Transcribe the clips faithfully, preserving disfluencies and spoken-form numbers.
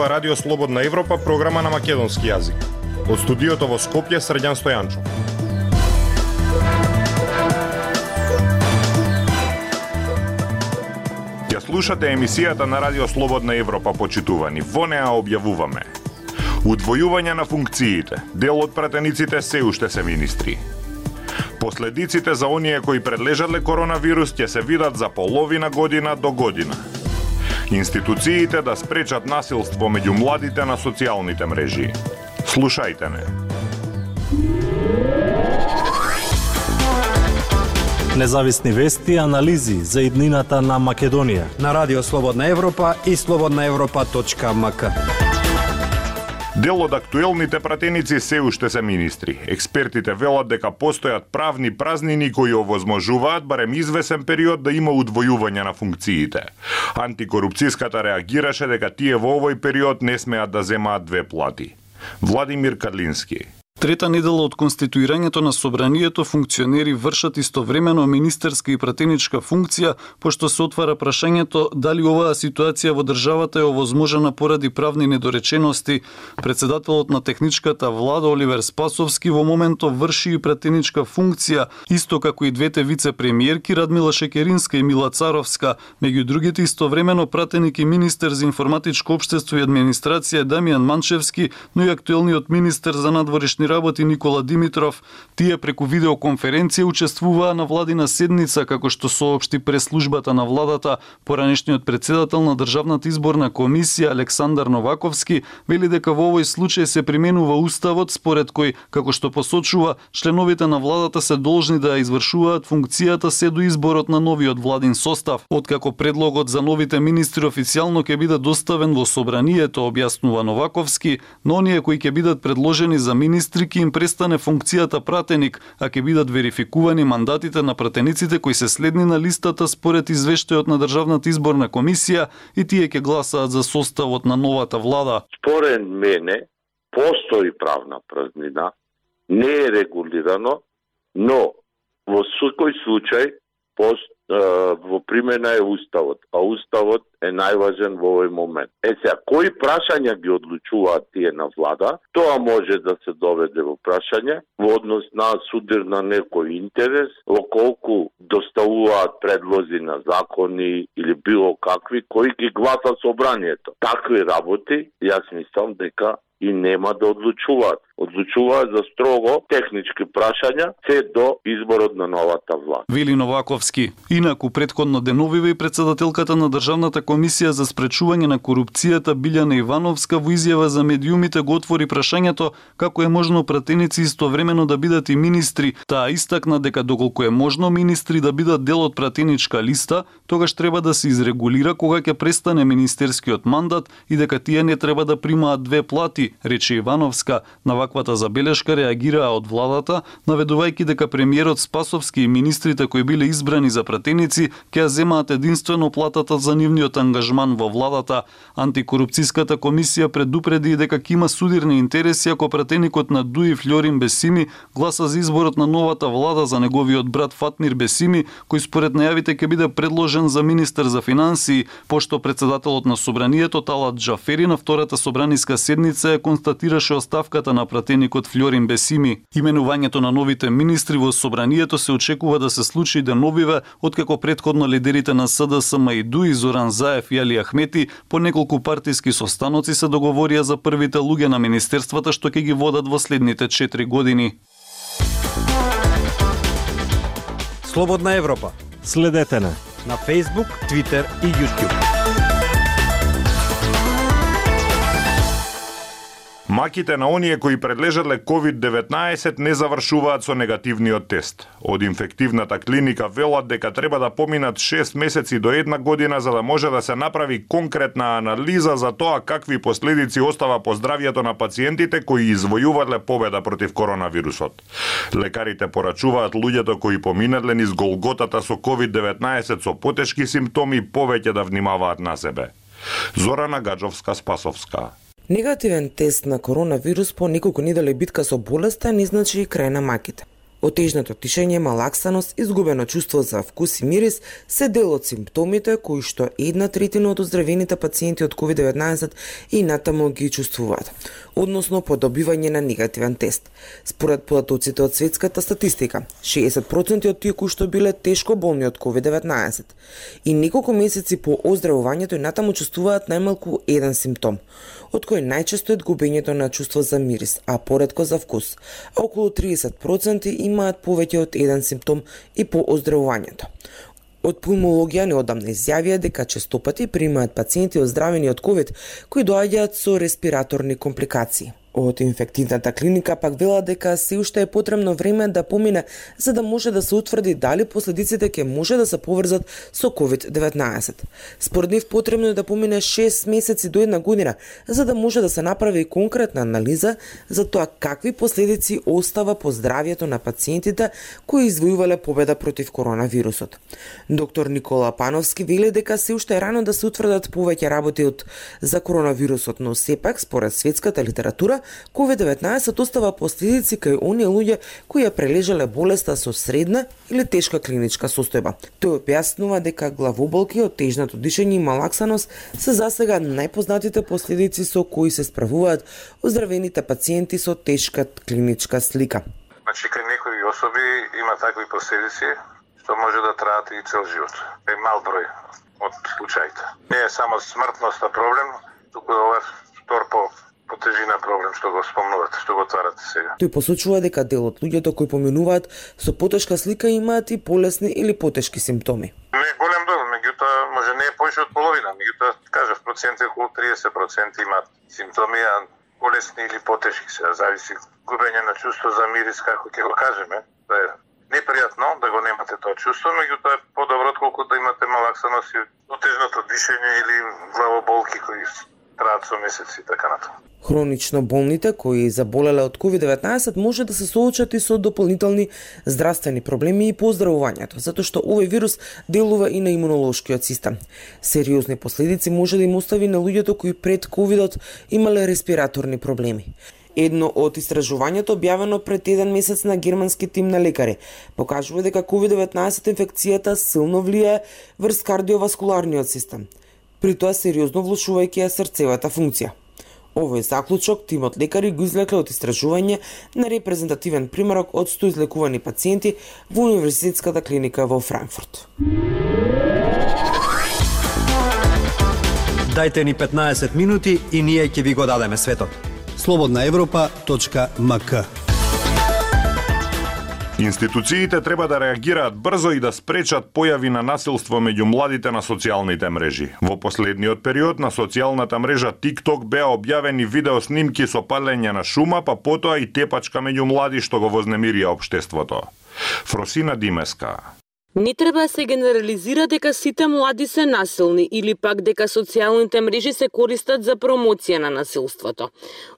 ова Радио Слободна Европа, програма на македонски јазик. Од студиото во Скопје, Срđan Стојанчо. Ја слушате емисијата на Радио Слободна Европа, почитувани. Во неа објавуваме: удвојување на функциите, дел од пратениците се уште се министри. Последиците за оние кои предлежале коронавирус ќе се видат за половина година до година. Институциите да спречат насилство меѓу младите на социјалните мрежи. Слушајте не. Независни вести и анализи за иднината на Македонија на Радио Слободна Европа и слободна европа точка ем ка. Дел од актуелните пратеници се уште се министри. Експертите велат дека постојат правни празнини кои овозможуваат барем извесен период да има удвојување на функциите. Антикорупцијската реагираше дека тие во овој период не смеат да земаат две плати. Владимир Кадлински. Трета недела од конституирањето на собранието, функционери вршат истовремено министерска и пратеничка функција, пошто се отвара прашањето дали оваа ситуација во државата е овозможена поради правни недоречености. Председателот на техничката влада Оливер Спасовски во моментов врши и пратеничка функција, исто како и двете вице-премиерки Радмила Шекеринска и Мила Царовска. Меѓу другите истовремено пратеник и министер за информатичко општество и администрација Дамјан Манчевски, но и актуелниот министер за надворешни работи Никола Димитров. Тие преку видеоконференција учествуваа на владина седница, како што соопшти прес-службата на владата. Поранешниот председател на Државната изборна комисија Александар Новаковски вели дека во овој случај се применува уставот, според кој, како што посочува, членовите на владата се должни да извршуваат функцијата се до изборот на новиот владин состав. Откако предлогот за новите министри официјално ќе биде доставен во собранието, објаснува Новаковски, но оние кои ќе бидат предложени за министри ќе им престане функцијата пратеник, а ќе бидат верификувани мандатите на пратениците кои се следни на листата според извештајот на Државната изборна комисија и тие ќе гласаат за составот на новата влада. Според мене постои правна празнина, не е регулирано, но во секој случај пост во примена е уставот, а уставот е најважен во овој момент. Е сега, кои прашања ги одлучуваат тие на влада, тоа може да се доведе во прашање во однос на судир на некој интерес, во колку доставуваат предлози на закони или било какви, кои ги гласа собранието. Такви работи, јас мислам дека и нема да одлучуваат. Одлучуваат за строго технички прашања се до изборот на новата влада. Вели Новаковски. Инаку претходно деновиве и председателката на Државната комисија за спречување на корупцијата Билјана Ивановска во изјава за медиумите го отвори прашањето како е можно пратеници истовремено да бидат и министри. Таа истакна дека доколку е можно министри да бидат дел од пратеничка листа, тогаш треба да се изрегулира кога ќе престане министерскиот мандат и дека тие не треба да примаат две плати, рече Ивановска. На ваквата забелешка реагираа од владата, наведувајќи дека премиерот Спасовски и министрите кои биле избрани за пратеници ќе земаат единствено платата за нивниот ангажман во владата. Антикорупцијската комисија предупреди дека ќе има судирни интереси ако пратеникот на Дуи Фљорин Бесими гласа за изборот на новата влада за неговиот брат Фатмир Бесими, кој според најавите ќе биде предложен за министер за финансии, пошто председателот на собранието Талат Џафери на втората собраниска седница ја констатираше оставката на пратеникот Фљорин Бесими. Именувањето на новите министри во собранието се очекува да се случи деновиве, откако претходно лидерите на С Д С М и Дуи Зоран Заев и Али Ахмети по неколку партиски состаноци се договорија за првите луѓе на министерствата што ќе ги водат во следните четири години. Слободна Европа. Следете на на Facebook, Twitter и YouTube. Маките на оние кои предлежале ковид деветнаесет не завршуваат со негативниот тест. Од инфективната клиника велат дека треба да поминат шест месеци до една година за да може да се направи конкретна анализа за тоа какви последици остава по здравјето на пациентите кои извојувале победа против коронавирусот. Лекарите порачуваат луѓето кои поминале низ голготата со ковид деветнаесет со потешки симптоми повеќе да внимаваат на себе. Зорана Гаджовска-Спасовска. Негативен тест на коронавирус по неколку недели битка со болеста не значи и крај на маките. Отежното тишење, малаксаност, изгубено чувство за вкус и мирис се дел од симптомите кои што една третина од оздравените пациенти од ковид деветнаесет и натаму ги чувствуваат, односно по добивање на негативен тест. Според податоците од светската статистика, шеесет проценти од тие кои што биле тешко болни од ковид деветнаесет и неколку месеци по оздравувањето и натаму чувствуваат најмалку еден симптом, од кој најчесто е губењето на чувство за мирис, а поретко за вкус, а околу триесет проценти имаат повеќе од еден симптом и по оздравувањето. Од пулмологија неодамна изјавија дека честопати примаат пациенти оздравени од ковид кои доаѓаат со респираторни компликации. Од инфективната клиника пак велат дека се уште е потребно време да помине за да може да се утврди дали последиците ќе може да се поврзат со ковид деветнаесет. Според нив потребно е да помине шест месеци до една година за да може да се направи конкретна анализа за тоа какви последици остава по здравјето на пациентите кои извојувале победа против коронавирусот. Доктор Никола Пановски вели дека се уште е рано да се утврдат повеќе работи од за коронавирусот, но сепак според светската литература ковид деветнаесет остава последици кај оние луѓе кои ја прележале болеста со средна или тешка клиничка состојба. Тој објаснува дека главоболки, отежното дишење и малаксаност се засега најпознатите последици со кои се справуваат оздравените пациенти со тешка клиничка слика. Значи, кај некои особи има такви последици што може да траат и цел живот. Е мал број од случаите. Не е само смртноста проблем, туку ова втор по по тежина проблем што го спомнувате, што го отварате сега. Тој посочува дека дел од луѓето кои поминуваат со потешка слика имаат и полесни или потешки симптоми. Не е голем дел, меѓутоа може не е повеќе од половина, меѓутоа кажав проценти околу триесет проценти имаат симптоми, а полесни или потешки се, зависи губење на чувство за мирис, како ќе го кажеме. Тоа е непријатно да го немате тоа чувство, меѓутоа е подобро отколку да имате малаксаност и отежното дишење или главоболки кои траат со месеци и така натаму. Хронично болните кои заболеле од ковид деветнаесет може да се соочат и со дополнителни здравствени проблеми и по оздравувањето, затоа што овој вирус делува и на имунолошкиот систем. Сериозни последици може да им остави на луѓето кои пред ковидот имале респираторни проблеми. Едно од истражувањето објавено пред еден месец на германски тим на лекари покажува дека ковид деветнаесет инфекцијата силно влијае врз кардиоваскуларниот систем, при тоа сериозно влошувајќи ја срцевата функција. Овој заклучок тимот лекари го излекле од истражување на репрезентативен примерок од сто излекувани пациенти во универзитетската клиника во Франкфурт. Дајте ни петнаесет минути и ние ќе ви го дадеме светот. слободна европа точка ем ка. Институциите треба да реагираат брзо и да спречат појави на насилство меѓу младите на социјалните мрежи. Во последниот период на социјалната мрежа TikTok беа објавени видео снимки со палење на шума, па потоа и тепачка меѓу млади што го вознемирија општеството. Фросина Димеска. Не треба да се генерализира дека сите млади се насилни или пак дека социјалните мрежи се користат за промоција на насилството.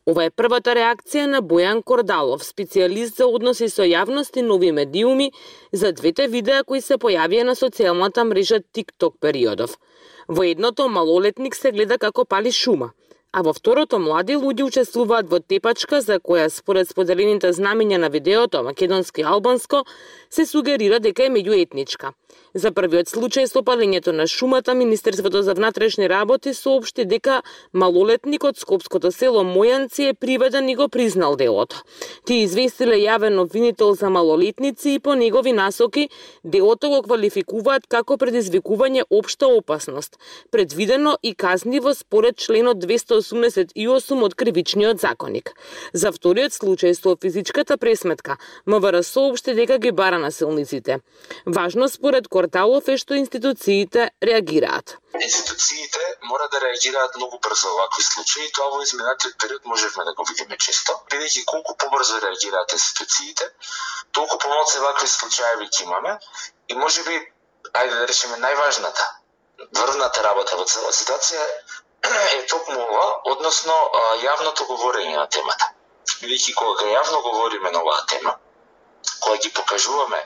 Ова е првата реакција на Бојан Кордалов, специјалист за односи со јавност и нови медиуми, за двете видеа кои се појавија на социјалната мрежа TikTok периодов. Во едното малолетник се гледа како пали шума, а во второто млади луѓе учествуваат во тепачка за која според споделените знамења на видеото македонски и албанско се сугерира дека е меѓуетничка. За првиот случај со палењето на шумата, Министерството за внатрешни работи соопшти дека малолетник од скопското село Мојанци е приведен и го признал делото. Тие известиле јавен обвинител за малолетници и по негови насоки делото го квалификуваат како предизвикување општа опасност, предвидено и казниво според членот двесте осумдесет и осум од Кривичниот законник. За вториот случај со физичката пресметка, МВР соопшти дека ги бара насилниците. Важно според Кордалов е што институциите реагираат. Институциите мора да реагираат многу брзо во вакви случаи, тоа во изминатиот период можевме да го видиме често. Бидејќи колку побрзо реагираат институциите, толку помалку вакви случаи ќе имаме и можеби, ајде да речеме најважната, врвната работа во цела ситуација е токму ова, односно јавното говорење на темата. Бидејќи кога јавно говориме на оваа тема, кога ги покажуваме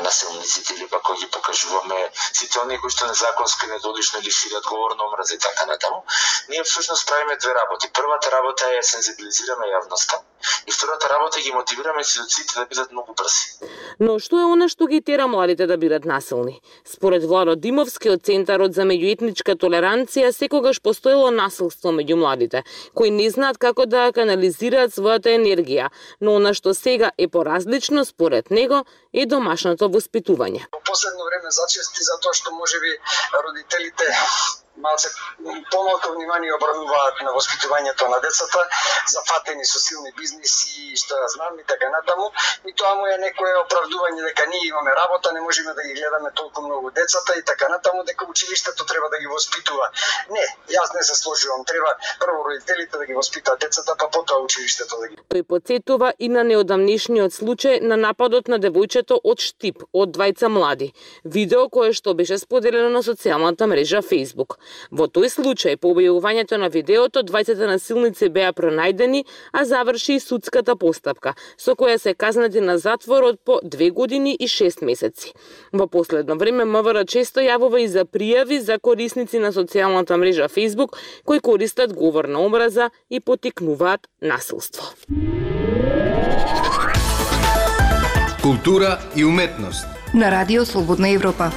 насилниците или пак кога ги покажуваме сите оние кои што незаконски недолишно или шират говор на омраза и така натаму, ние всушност правиме две работи. Првата работа е сензибилизираме јавноста и втората работа е ги мотивираме институциите да бидат многу брзи. Но што е она што ги тера младите да бидат насилни? Според Владо Димовски од Центарот за меѓуетничка толеранција, секогаш постоело насилство меѓу младите, кои не знаат како да канализираат својата енергија, но она што сега е поразлично според него е домашното воспитување. Во последно време зачести затоа што можеби родителите малце помалку внимание обрнуваат на воспитувањето на децата, зафатени со силни бизниси и што ја знам и така натаму, и тоа му е некое оправдување дека ние имаме работа, не можеме да ги гледаме толку многу децата и така натаму, дека училиштето треба да ги воспитува. Не, јас не се сложувам, треба прво родителите да ги воспитаат децата, па потоа училиштето да ги. Тој потсетува и на неодамнишниот случај на нападот на девојчето од Штип од двајца млади, видео кое што беше споделено на социјалната мрежа Facebook. Во тој случај, по објавувањето на видеото, двајцата насилници беа пронајдени, а заврши и судската постапка, со која се казнати на затвор од по две години и шест месеци. Во последно време МВР често јавува и за пријави за корисници на социјалната мрежа Facebook кои користат говор на омраза и поттикнуваат насилство. Култура и уметност на Радио Слободна Европа.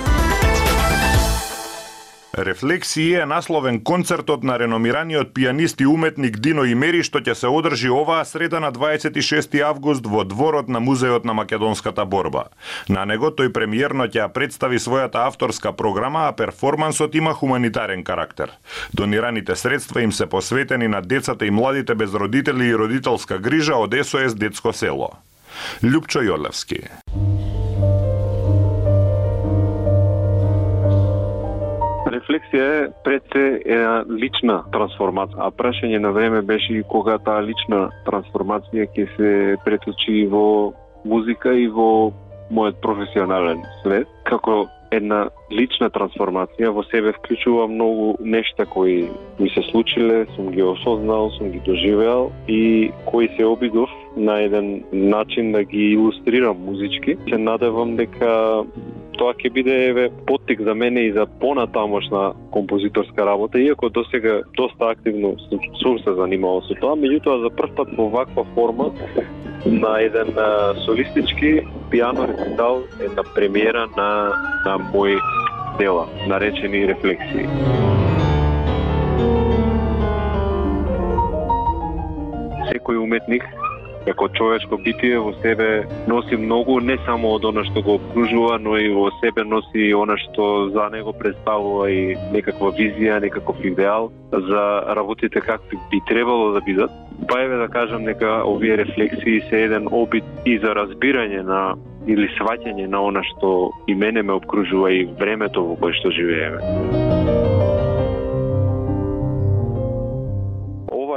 Рефлексии е насловен концертот на реномираниот пијанист и уметник Дино Имери што ќе се одржи оваа среда на дваесет и шести август во дворот на Музеот на македонската борба. На него тој премиерно ќе представи својата авторска програма, а перформансот има хуманитарен карактер. Донираните средства им се посветени на децата и младите без родители и родителска грижа од Ес О Ес Детско село. Љупчо Јолевски. Рефлексија е пред се една лична трансформација, а прашање на време беше и кога таа лична трансформација ќе се преточи во музика и во мојот професионален свет. Како една лична трансформација во себе вклучува многу нешта кои ми се случиле, сум ги осознал, сум ги доживеал и кои се обидов на еден начин да ги илустрирам музички. Се надевам дека тоа ќе биде еве поттик за мене и за понатамошна композиторска работа, иако досега доста активно сум се занимавал со тоа, меѓутоа за прв пат во ваква форма на еден а, солистички пијано рецитал, една премиера на, на мои дела, наречени рефлексии. Секој уметник како човечко битие во себе носи многу, не само од она што го обкружува, но и во себе носи она што за него представува и некаква визија, некаков идеал за работите какви би требало да бидат. Па еве да кажам дека овие рефлексии се еден обид и за разбирање на или сваќање на она што и мене ме обкружува и времето во кое што живееме.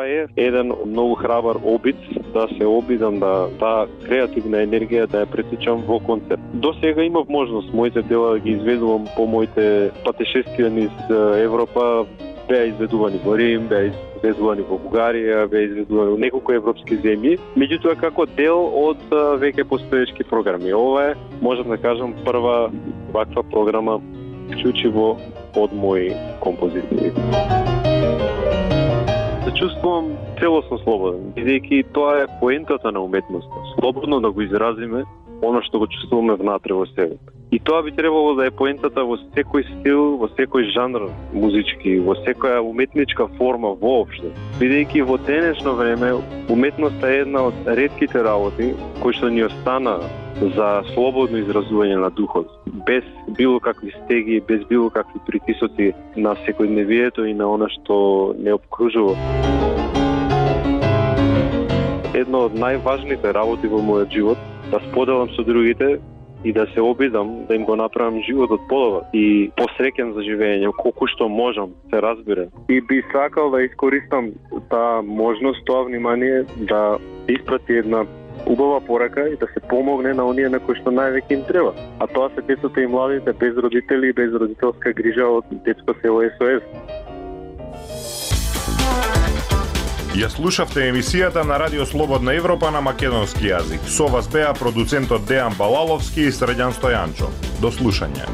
Е еден многу храбар обид да се обидам да таа креативна енергија да ја претичам во концерт. До сега имав можност моите дела да ги изведувам по моите патешествија низ Европа, беа изведувани во Рим, беа изведувани во Бугарија, беа изведувани во неколку европски земји, меѓутоа како дел од веќе постоечки програми. Ова е, можам да кажам, прва ваква програма вклучиво од мои композиции. Се чувствувам целосно слободен, бидејќи тоа е поентата на уметноста. Слободно да го изразиме оно што го чувствуваме внатре во себе. И тоа би требало да е поентата во секој стил, во секој жанр музички, во секоја уметничка форма воопшто. Бидејќи во денешно време уметноста е една од ретките работи кои што ни остана за слободно изразување на духот, без било какви стеги, без било какви притисоци на секојдневието и на она што не обкружува. Една од најважните работи во мојот живот да споделам со другите и да се обидам да им го направам животот подобар и посреќен за живење, колку што можам, се разбира. И би сакал да искористам таа можност, тоа внимание да испрати една убава порака и да се помогне на оние на кои што највеќе им треба. А тоа се децата и младите без родители и без родителска грижа од Детско село Ес О Ес. Ја слушавте емисијата на Радио Слободна Европа на македонски јазик. Со вас беа продуцентот Дејан Балаловски и Средјан Стојанчо. До слушање.